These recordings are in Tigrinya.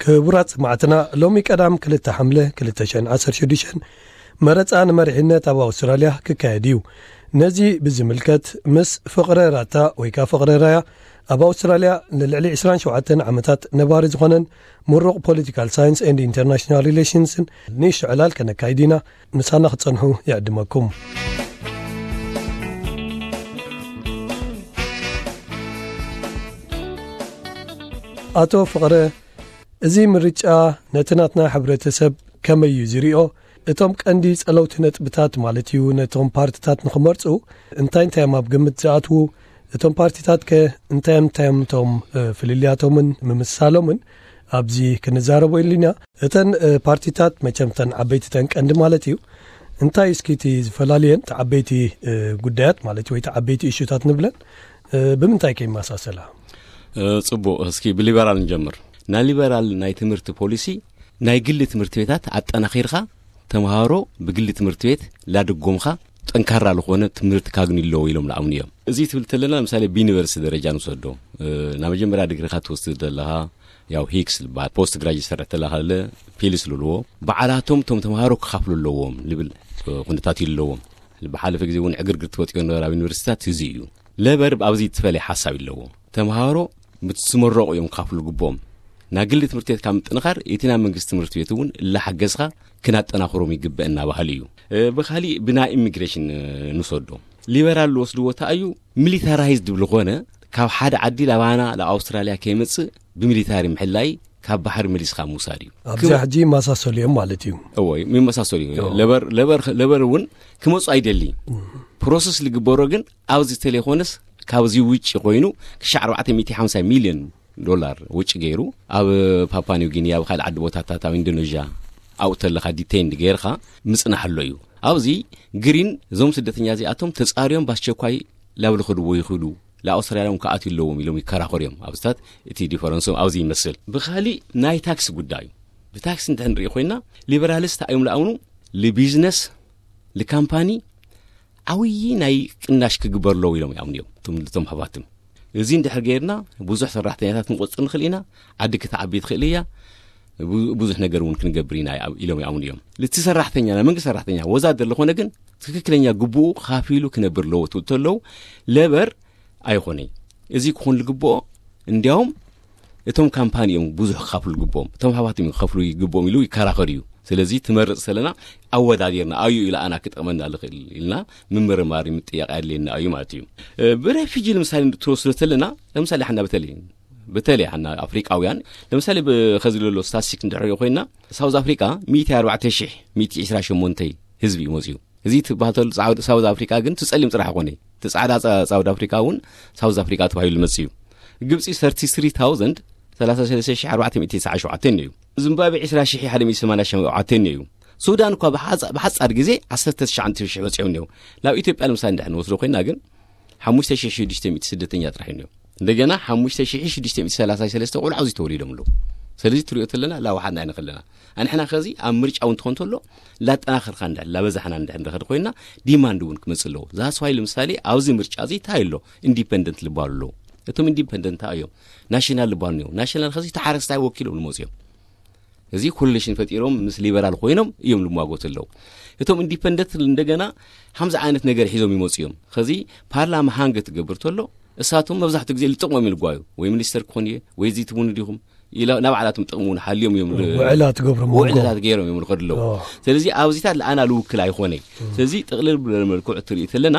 ክቡራት ሰማዕትና፣ ሎሚ ቀዳም ክልተ ሓምለ ክልተ ሽሕን ዓሰርተ ሽዱሽተን መረጻ ንመሪሕነት ኣብ ኣውስትራልያ ክካየድ እዩ። ነዚ ብዝምልከት ምስ ፍቕረ ራታ ወይ ከኣ ፍቕረ ራያ ኣብ ኣውስትራልያ ንልዕሊ ዕስራን ሸውዓተን ዓመታት ነባሪ ዝኾነን ምሩቕ ፖለቲካል ሳይንስ ኤንድ ኢንተርናሽናል ሪሌሽንስን ንእሽቶ ዕላል ከነካይድ ኢና። ምሳና ክጸንሑ ይዕድመኩም። ኣቶ ፍቕረ፣ እዚ ምርጫ ነቲ ናትና ሕብረተሰብ ከመይ እዩ ዝሪኦ? እቶም ቀንዲ ጸለውቲ ነጥብታት ማለት እዩ፣ ነቶም ፓርትታት ንኽመርጹ እንታይ እንታይ እዮም ኣብ ግምት ዝኣትዉ? እቶም ፓርቲታት ከ እንታይ እንታይ እዮም እቶም፣ እ፣ ፍልልያቶምን ምምስሳሎምን? ኣብዚ ክንዛረቦ ኢልና። እተን፣ እ፣ ፓርቲታት መቸም እተን ዓበይቲ እተን ቀንዲ ማለት እዩ። እንታይ እስኪ እቲ ዝፈላልየን እቲ ዓበይቲ፣ እ፣ ጉዳያት ማለት ወይ እቲ ዓበይቲ እሹታት ንብለን፣ እ፣ ብምንታይ ከ ይመሳሰላ? እ፣ ጽቡቕ፣ እስኪ ብሊበራል ንጀምር። ናይ ሊበራል ናይ ትምህርቲ ፖሊሲ ናይ ግሊ ትምህርቲ ቤታት ኣጠናኺርካ ተምሃሮ ብግሊ ትምህርቲ ቤት ላድጎምኻ ጠንካራ ዝኾነ ትምህርቲ ካግኒ ኣለዎ ኢሎም ለኣምኑ እዮም። እዚ ትብል ተለና ምሳሌ ብዩኒቨርሲቲ ደረጃ ንውሰዶ። እ፣ ናብ መጀመርያ ድግሪኻ ትወስድ ዘለኻ ያው ሂክስ ልበሃል ፖስት ግራጅ ዝሰርሕ ተለኻ ለ ፒልስ ልልዎ ባዕላቶም እቶም ተምሃሮ ክኻፍሉ ኣለዎም ልብል፣ እ፣ ኩነታት እዩ ኣለዎም። ብሓለፈ ግዜ እውን ዕግርግር ትወጥዮ ነበረ ኣብ ዩኒቨርሲቲታት እዚ እዩ። ለበር ኣብዚ ትፈለየ ሓሳብ ኣለዎ። ተምሃሮ ምስ ዝመረቑ እዮም ክኻፍሉ ግብኦም። ናይ ግሊ ትምህርቲ ቤት ካብ ምጥንኻር እቲ ናይ መንግስቲ ትምህርቲ ቤት እውን እላሓገዝካ ክናጠናኽሮም ይግበእ እናባህሉ እዩ። እ፣ ብኻሊእ ብናይ ኢሚግሬሽን፣ እ፣ ንወስዶ። ሊበራል ዝወስድዎ እንታይ እዩ? ሚሊታራይዝድ ብዝኾነ ካብ ሓደ ዓዲ ላባና ለኣውስትራልያ ከይመጽእ ብሚሊታሪ ምሕላይ ካብ ባሕሪ መሊስካ ምውሳድ እዩ። ኣብዚኣ ሕጂ ይመሳሰሉ እዮም ማለት እዩ። እዎ፣ ይመሳሰሉ እዩ። እዎ። ለበር፣ ለበር፣ ለበር እውን ክመጹ ኣይደሊ። ፕሮሰስ ዝግበሮ ግን ኣብዚ ተለይኮነስ ካብዚ ውጭ ኮይኑ ክሻዕ ኣርባዕተ ሚእቲ ሓምሳ ሚልዮን ዶላር ውጭ ገይሩ ኣብ ፓፓ ኒው ጊኒ፣ ኣብ ካልእ ዓዲ ቦታታት፣ ኣብ ኢንዶኔዥያ ኣብኡ ተለኻ ዲቴይንድ ገይርካ ምጽናሕ ኣሎ እዩ። ኣብዚ ግሪን እዞም ስደተኛ እዚኣቶም ተጻርዮም ብኣስቸኳይ ላብ ልኸድዎ ይኽእሉ፣ ለኣውስትራልያ እውን ክኣትዩ ኣለዎም ኢሎም ይከራኸሩ እዮም። ኣብዚታት እቲ ዲፈረንሶም ኣብዚ ይመስል። ብኻሊእ ናይ ታክስ ጉዳይ እዩ። ብታክስ እንድሕር ንርኢ ኮይና ሊበራልስ እንታይ እዮም ለኣምኑ? ልቢዝነስ፣ ልካምፓኒ ዓብዪ ናይ ቅናሽ ክግበር ኣለዎ ኢሎም ይኣምኑ እዮም። እቶም፣ እቶም ሃፋትም እዚ እንድሕር ገይርና ብዙሕ ሰራሕተኛታት ክንቆጽር ንኽእል ኢና፣ ዓዲ ክትዓቢ ትኽእል እያ፣ ቡ-፣ ብዙሕ ነገር እውን ክንገብር ኢና ኢሎም ይኣምኑ እዮም። እቲ ሰራሕተኛ፣ ናይ መንግስቲ ሰራሕተኛ ወዛደር ዝኾነ ግን ትክክለኛ ግቡኡ ካፊሉ ክነብር ኣለዎ ትብል ተለዉ ለበር ኣይኾነይ። እዚ ክኾን ዝግብኦ እንዲያውም እቶም ካምፓኒ እዮም ብዙሕ ክኸፍሉ ዝግብኦም፣ እቶም ሃፋትም እዮም ክኸፍሉ ይግብኦም ኢሉ ይከራኸር እዩ። ስለዚ ትመርጽ ዘለና ኣወዳዲርና ኣዩ ኢሉ ኣና ክጠቕመና ዝኽእል ኢልና ምምርማር ምጥያቕ ኣድልየና እዩ ማለት እዩ። እ፣ ብሬፊጂ ንምሳሌ ትወስዶ ተለና፣ ለምሳሌ ሓና በተለይ፣ በተለይ ሓና ኣፍሪቃውያን፣ ለምሳሌ ብ-፣ ኸዚ ዘሎ ስታትስቲክ እንድሕር ኮይና፣ ሳውዝ ኣፍሪቃ ሚእቲ ኣርባዕተ ሽሕ ሚእቲ ዕስራ ሸሞንተ ህዝቢ እዩ መፅዩ። እዚ ትባህተሉ ሳውዝ ኣፍሪቃ ግን ትጸሊም ጥራሕ ኮነ። ትጻዕዳ ሳ-፣ ሳውዝ ኣፍሪቃ እውን ሳውዝ ኣፍሪቃ ተባሂሉ መፅዩ። ግብፂ ሰርቲ ስሪ ታውዘንድ፣ ሰላሳ ሰለስተ ሽሕ ኣርባዕተ ሚእቲ ተስዓን ሸውዓተን እዩ። ዚምባብዌ ዕስራ ሽሕ ሓደ ሚእቲ ሰማንያን ሸውዓተን እዩ። ሱዳን እኳ ብሓጻ-፣ ብሓጻር ግዜ ዓሰርተ ትሽዓተ ሽሕ በጺሖም እዮም። ናብ ኢትዮጵያ ንምሳሌ እንድሕር ንወስዶ ኮይና ግን ሓሙሽተ ሽሕ ሽዱሽተ ሚእቲ ስደተኛ ጥራሕ እዮም። እንደገና ሓሙሽተ ሽሕ ሽዱሽተ ሚእቲ ሰላሳ ሰለስተ ቆልዑ ኣብዚ ተወሊዶም ኣለዉ። ስለዚ ትሪኦ ተለና ላዋሓትና ኣይንኸለና። ኣንሕና ኸዚ ኣብ ምርጫ እውን ትኾን ተሎ ላጠናኸርካ እንድሕር ላበዛሕና እንድሕር ንኸድ ኮይና ዲማንድ እውን ክመጽእ ኣለዎ። ዛስዋይ ንምሳሌ ኣብዚ ምርጫ እዚ እንታይ ኣሎ? ኢንዲፐንደንት ልባሉ ኣለዉ። እቶም ኢንዲፐንደንት እንታይ እዮም? ናሽናል ልባሉ እዮም። ናሽናል ኸዚ ተሓረስታይ ወኪሎም ልመጽኡ እዮም። እዚ ኮሊሽን ፈጢሮም ምስ ሊበራል ኮይኖም እዮም ልሟጎቱ ኣለዉ። እቶም ኢንዲፐንደንት እንደገና ሓምዚ ዓይነት ነገር ሒዞም ይመጹ እዮም። ኸዚ ፓርላማ ሃንገ ትገብር ተሎ እሳቶም መብዛሕትኡ ግዜ ልጥቕሞም ይልጓዩ። ወይ ሚኒስተር ክኾን እየ፣ ወይ እዚ ትብሉ ዲኹም? ኢላ ናብ ባዕላቶም ጥቕሚ እውን ሓልዮም እዮም ል-፣ ውዕላ ትገብሮም ውዕላታት ገይሮም እዮም ልኸዱ ኣለዉ። ኦ። ስለዚ ኣብዚታት ለኣና ልውክል ኣይኾነ። ስለዚ ጥቕልል ብለ መልክዑ ትርኢ ተለና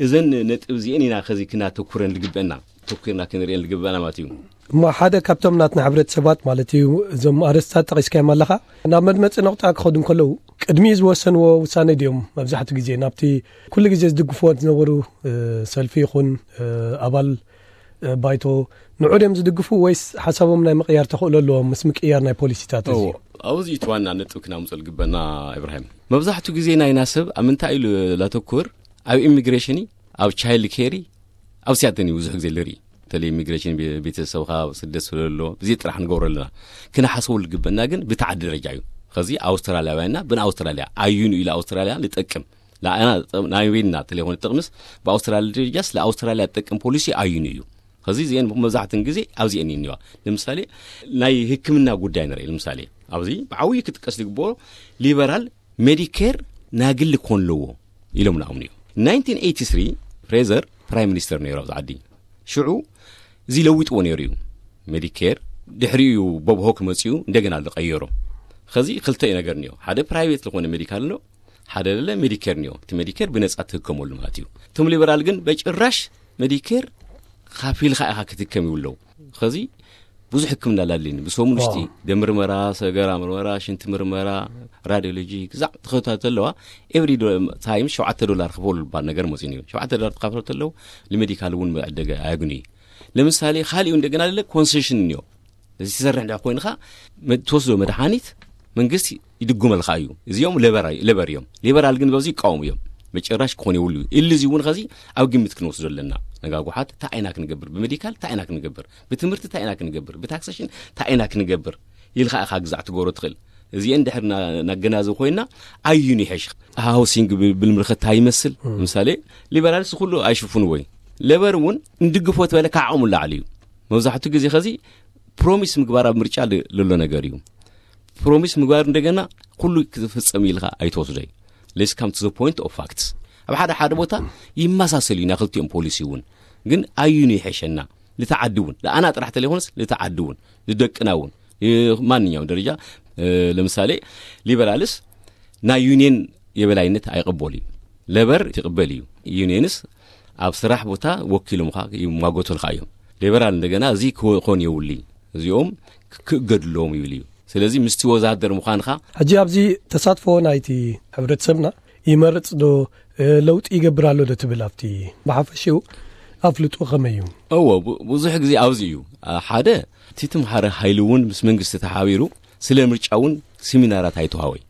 እዘን ነጥብ እዚአን ኢና ኸዚ ክናተኩረን ልግበአና፣ ተኩርና ክንርእየን ልግበአና ማለት እዩ። እሞ ሓደ ካብቶም ናትና ሕብረተሰባት ማለት እዩ፣ እዞም ኣርእስታት ጠቒስካዮም ኣለኻ፣ ናብ መድመጺ ነቑጣ ክኸዱ እንከለዉ ቅድሚ ዝወሰንዎ ውሳነ ድዮም መብዛሕትኡ ግዜ ናብቲ ኩሉ ግዜ ዝድግፍዎ ዝነበሩ፣ እ፣ ሰልፊ ይኹን፣ እ፣ ኣባል፣ እ፣ ባይቶ ንዑ ድዮም ዝድግፉ ወይስ ሓሳቦም ናይ ምቕያር ተኽእሎ ኣለዎም ምስ ምቅያር ናይ ፖሊሲታት እዚ? እዎ፣ ኣብዚ እቲ ዋና ነጥብ ክናምጾ ልግበና ኢብራሂም። መብዛሕትኡ ግዜ ናይና ሰብ ኣብ ምንታይ ኢሉ ላተኩር? ኣብ ኢሚግሬሽን፣ ኣብ ቻይልድ ኬሪ፣ ኣብ ሲያትል እዩ ብዙሕ ግዜ ልርኢ። በተለይ ኢሚግሬሽን ቤ-፣ ቤተሰብኻ ስደት ስለሎ፣ እዚ ጥራሕ ንገብሮ ኣለና። ክነሓስበሉ ዝግበና ግን ብቲ ዓዲ ደረጃ እዩ። ኸዚ ኣውስትራልያውያንና ብን ኣውስትራልያ ኣዩን ኢሉ ኣውስትራልያ ንጠቅም። ንኣና ጥቅም፣ ናይ ቤንና ተለይኮነ ጥቅምስ ብኣውስትራልያ ደረጃስ ለኣውስትራልያ ዝጠቅም ፖሊሲ ኣዩን እዩ። እዚ ዜን መብዛሕትን ግዜ ኣብዚኤን እኒዋ። ንምሳሌ ናይ ህክምና ጉዳይ ንርኢ። ንምሳሌ ኣብዚ ብዓብዩ ክጥቀስ ዝግብኦ ሊበራል ሜዲኬር ናግሊ ክኾን ኣለዎ ኢሎም ንኣምኑ እዩ። ናይንቲን ኤይቲ ስሪ ፍሬዘር ፕራይም ሚኒስተር ነይሩ ኣብዚ ዓዲ። ሽዑ እዚ ለዊጥዎ ነይሩ እዩ። ሜዲኬር ድሕሪኡ እዩ ቦብ ሆክ መፅኡ እንደገና ዝቀየሮ። ከዚ ክልተ ነገር እኒኦ። ሓደ ፕራይቬት ዝኾነ ሜዲካል ነው፣ ሓደ ደለ ሜዲኬር እኒኦ። እቲ ሜዲኬር ብነፃ ትህከመሉ ማለት እዩ። እቶም ሊበራል ግን በጭራሽ ሜዲኬር ካፊልካ ኢኻ ክትከም ይብለው። ከዚ ብዙሕ ሕክምና ላሊኒ ብሰሙን ውሽጢ ደምርመራ፣ ሰገራ ምርመራ፣ ሽንቲ ምርመራ፣ ራዲዮሎጂ ግዛዕ ትኸታተል ኣለዋ። ኤቭሪ ታይም ሸውዓተ ዶላር ክፈሉ ልባል ነገር መፂኑ እዩ። ሸውዓተ ዶላር ትካፍሎ ተለው ንሜዲካል እውን መዕደገ ኣያግኑ እዩ። ለምሳሌ ካሊኡ እንደገና ለለ ኮንሴሽን እኒዮ። እዚ ትሰርሕ እንዳ ኮይንካ ትወስዶ መድሓኒት መንግስቲ ይድጉመልካ እዩ። እዚኦም ለበር እዮም። ሊበራል ግን በዚ ይቃወሙ እዮም። መጨራሽ ክኾን የብሉ እዩ። እሊ እዚ እውን ከዚ ኣብ ግምት ክንወስዶ ኣለና። ነጋጉሓት እንታይ ዓይና ክንገብር፣ ብሜዲካል እንታይ ዓይና ክንገብር፣ ብትምህርቲ እንታይ ዓይና ክንገብር፣ ብታክሴሽን እንታይ ዓይና ክንገብር ኢልካ ኢኻ ግዛዕ ትገብሮ ትኽእል። እዚአን ድሕር ናገናዘብ ኮይና ኣዩን ይሐሽ። ሃውሲንግ ብልምልኸት እንታይ ይመስል? ምሳሌ ሊበራልስ ኩሉ ኣይሽፍንዎ እዩ። ለበር እውን እንድግፎ ተበለ ካዓቕሙ ላዕሊ እዩ። መብዛሕትኡ ግዜ ከዚ ፕሮሚስ ምግባር ኣብ ምርጫ ዘሎ ነገር እዩ። ፕሮሚስ ምግባር እንደገና ኩሉ ክትፍጸም ኢልካ ኣይትወስዶይ። Let's come to the point of facts። ኣብ ሓደ ሓደ ቦታ ይመሳሰል እዩ ናይ ክልቲኦም ፖሊሲ እውን። ግን ኣዩን ይሐሸና? ልተዓዲ እውን ንኣና ጥራሕ ተለይኮነስ ልተዓዲ እውን ንደቅና እውን ማንኛውም ደረጃ። ለምሳሌ ሊበራልስ ናይ ዩኒየን የበላይነት ኣይቕበሉ እዩ። ለበር ይቕበል እዩ። ዩኒየንስ ኣብ ስራሕ ቦታ ወኪሎም ካ ይማጎተልካ እዮም። ሊበራል እንደገና እዚ ክኾን የውሊ፣ እዚኦም ክእገድሎም ይብል እዩ። ስለዚ ምስቲ ወዛደር ምዃንካ። ሕጂ ኣብዚ ተሳትፎ ናይቲ ሕብረተሰብና ይመርጽ ዶ ለውጢ ይገብር ኣሎ ዶ ትብል ኣብቲ ብሓፈሽኡ ኣፍልጦ ከመይ እዩ? እዎ፣ ብዙሕ ግዜ ኣብዚ እዩ። ሓደ እቲ ትምሃረ ሓይሊ እውን ምስ መንግስቲ ተሓቢሩ ስለ ምርጫ እውን ሲሚናራት ኣይተዋወይ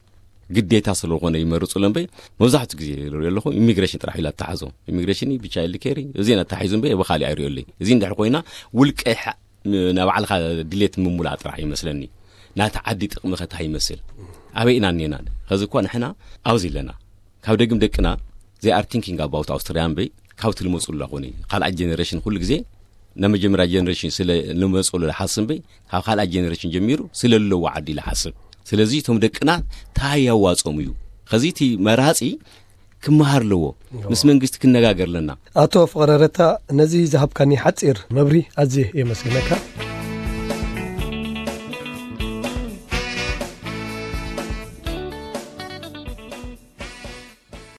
ግዴታ ስለኾነ ይመርጹ ለምበይ። መብዛሕቱ ግዜ ኣለኹ ኢሚግሬሽን ጥራሕ ኢላ ተሓዞ። ኢሚግሬሽን ብቻ ኢሊ ኬሪ እዚ ኣታሒዙ እምበይ ብኻሊ ኣይሪኦለይ። እዚ እንድሕር ኮይና ውልቀ ናባዕልካ ድሌት ምሙላእ ጥራሕ ይመስለኒ። ናቲ ዓዲ ጥቕሚ ከታ ይመስል። ኣበይ ኢና እኔና? ከዚ እኳ ንሕና ኣብዚ ኣለና። ካብ ደግም ደቅና they are thinking about ኣውስትራያ እምበይ ካብቲ ልመፁ ኣለኹኒ ካልኣይ ጀነሬሽን ኩሉ ግዜ ናብ መጀመርያ ጀነሬሽን ስለ ልመፁ ልሓስብ እምበይ ካብ ካልኣይ ጀነሬሽን ጀሚሩ ስለ ለዎ ዓዲ ልሓስብ። ስለዚ እቶም ደቅና ታይ ያዋፆም እዩ። ከዚ እቲ መራፂ ክመሃር ኣለዎ። ምስ መንግስቲ ክነጋገር ኣለና። ኣቶ ፍቕረ ረታ፣ ነዚ ዝሃብካኒ ሓጺር መብሪ ኣዝየ የመስግነካ።